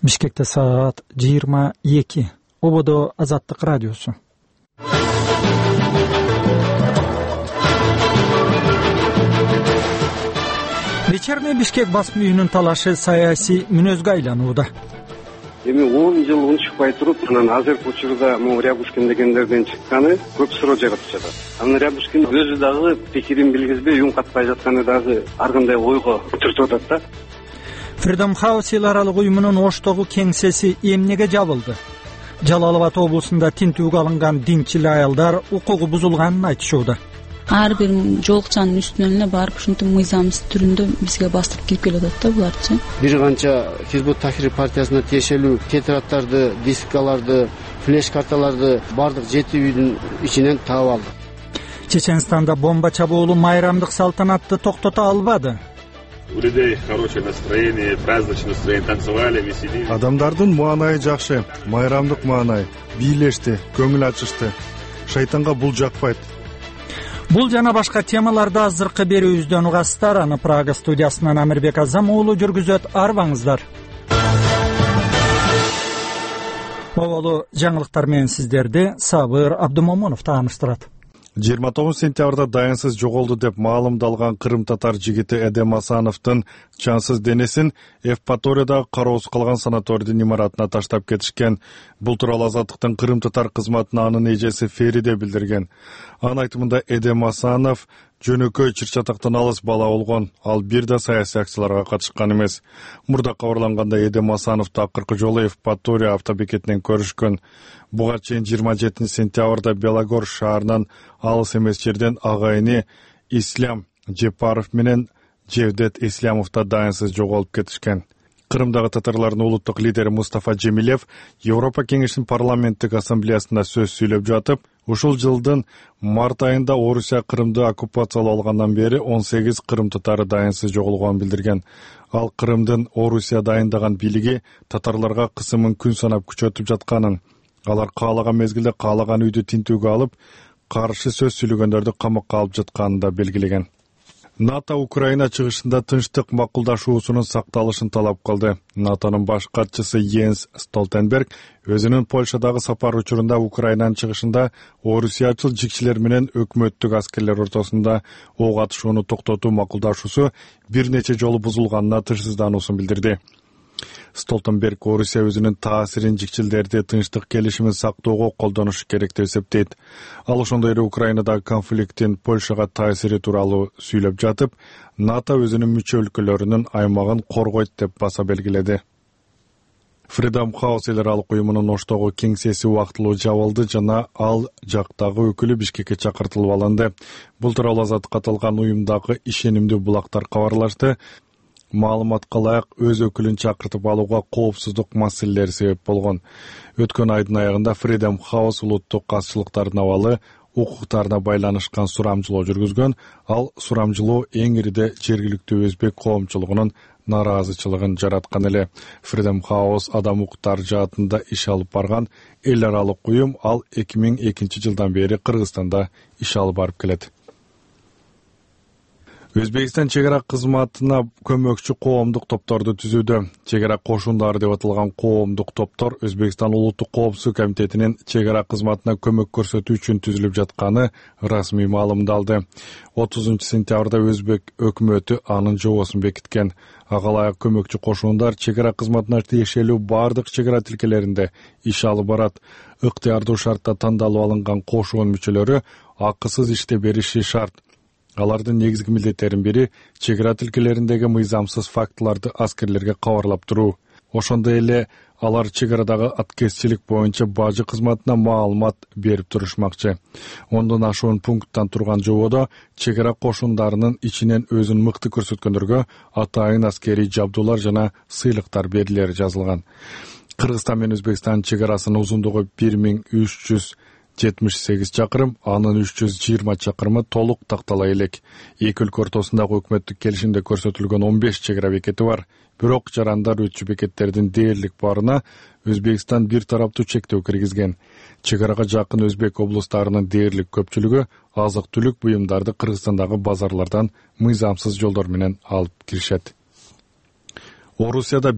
Бишкекте саат 22. Ободо Азаттык радиосу. Вечерний Бишкек басма үйүнүн талашы саясий мүнөзгө айланууда. Эми 10 жыл унчукпай туруп, анан азыркы учурда могу Рябушкин дегендерден чыкканы көп суроо жаратып жатат. Анан Рябушкин өзү дагы пикирин билгизбей, үн катпай жатканы дагы ар кандай ойго бүтүртүп атат да. Freedom House эл аралык уюмунун Оштогу кеңсеси эмнеге жабылды? Жалал Абад облусунда тинтүүгө алынган динчил аялдар укугу бузулганын айтышууда. Ар бир жолукчанын үстүнөн эле барып ушинтип мыйзамсыз түрүндө бизге бастырып кирип келатат да буларчы. Бир канча Хизбут Тахрир партиясына тиешелүү тетрадтарды, дискаларды, флеш карталарды бардык 7 үйдүн ичинен таап алды. Чеченстанда бомба чабуулу майрамдык салтанатты токтото албады. У людей хорошее настроение, праздничное настроение, танцевали, веселились. Адамдардын маанайы жакшы, майрамдык маанай, бийлешти, көңүл ачышты. Шайтанга бул жакпайт. Бул жана башка темаларды азыркы берүүбүздөн угасыздар. Аны Прага студиясынан Амирбек Азам уулу жүргүзөт. Арбаңыздар. Оболу жаңылыктар менен сиздерди Сабыр Абдумомунов тааныштырат. 29 сентябрда дайынсыз жоголду деп маалымдалган кырым татар жигити Эдем Асановдун жансыз денесин Евпаториядагы кароосуз калган санаторийдин имаратына таштап кетишкен. Бул тууралуу Азаттыктын кырым татар кызматына анын эжеси Фериде билдирген. Анын айтымында Эдем Асанов жөнөкөй чыр-чатактан алыс бала болгон, ал бир да саясий акцияларга катышкан эмес. Мурда кабарлангандай Эдем Асановду акыркы жолу Евпатория автобекетинен көрүшкөн. Буга чейин 27 сентябрда Белогор шаарынан алыс эмес жерден агайыны Ислам Жепаров менен Жевдет Ислямов да дайынсыз жоголуп кетишкен. Кырымдагы татарлардын улуттук лидери Мустафа Жемилев Европа кеңешинин парламенттик ассамблеясында сөз сүйлөп жатып, ушул жылдын март айында Орусия Кырымды оккупациялап алгандан бери 18 кырым татары дайынсыз жоголгонун билдирген. Ал Кырымдын Орусия дайындаган бийлиги татарларга кысымын күн санап күчөтүп жатканын, алар каалаган мезгилде каалаган үйдү тинтүүгө алып, каршы сөз сүйлөгөндөрдү камакка алып жатканын да белгилеген. НАТО Украина чыгышында тынчтык макулдашуусунун сакталышын талап кылды. НАТОнун баш катчысы Йенс Столтенберг өзүнүн Польшадагы сапар учурунда Украинанын чыгышында орусиячыл жикчилер менен өкмөттүк аскерлер ортосунда ок атышууну токтотуу макулдашуусу бир нече жолу бузулганына тынчсыздануусун билдирди. Столтенберг Орусия өзүнүн таасирин жикчилдерди тынчтык келишимин сактоого колдонушу керек деп эсептейт. Ал ошондой эле Украинадагы конфликттин Польшага таасири тууралуу сүйлөп жатып, НАТО өзүнүн мүчө өлкөлөрүнүн аймагын коргойт деп баса белгиледи. Freedom House эл аралык уюмунун Оштогу кеңсеси убактылуу жабылды жана ал жактагы өкүлү Бишкекке чакыртылып алынды. Бул тууралуу Азаттыкка аталган уюмдагы ишенимдүү булактар кабарлашты. Маалыматка ылайык өз өкүлүн чакыртып алууга коопсуздук маселелери себеп болгон. Өткөн айдын аягында Freedom House улуттук казчылыктардын абалы укуктарына байланышкан сурамжылоо жүргүзгөн. Ал сурамжылоо эң ириде жергиликтүү өзбек коомчулугунун нааразычылыгын жараткан эле. Freedom House адам укуктары жаатында иш алып барган эл аралык уюм. Ал 2002 жылдан бери Кыргызстанда иш алып барып келет. Өзбекстан чегара кызматына көмөкчү коомдук топторду түзүүдө. Чегара кошундары деп аталган коомдук топтор Өзбекстан улуттук коопсуздук комитетинин чегара кызматына көмөк көрсөтүү үчүн түзүлүп жатканы расмий маалымдалды. 30 сентябрда Өзбек өкмөтү анын жобосун бекиткен. Ага ылайык көмөкчү кошундар чегара кызматына тиешелүү бардык чегара тилкелеринде иш алып барат. Ыктыярдуу шартта тандалып алынган кошун мүчөлөрү акысыз иште бериши шарт. Алардын негизги милдеттеринин бири чегара тилкелериндеги мыйзамсыз фактыларды аскерлерге кабарлап туруу. Ошондой эле алар чегарадагы аткезчилик боюнча бажы кызматына маалымат берип турушмакчы. 10дон ашуун пункттан турган жободо чегара кошундарынын ичинен өзүн мыкты көрсөткөндөргө атайын аскерий жабдуулар жана сыйлыктар берилери жазылган. Кыргызстан менен Өзбекстан чегарасынын узундугу 1378 чакырым, анын 320 чакырымы толук тактала элек. Эки өлкө ортосундагы өкмөттүк келишимде көрсөтүлгөн 15 чегара бекети бар. Бирок жарандар өтчү бекеттердин дээрлик барына Өзбекстан бир тараптуу чектөө киргизген. Чегарага жакын өзбек облустарынын дээрлик көпчүлүгү азык-түлүк буюмдарды Кыргызстандагы базарлардан мыйзамсыз жолдор менен алып киришет. Орусияда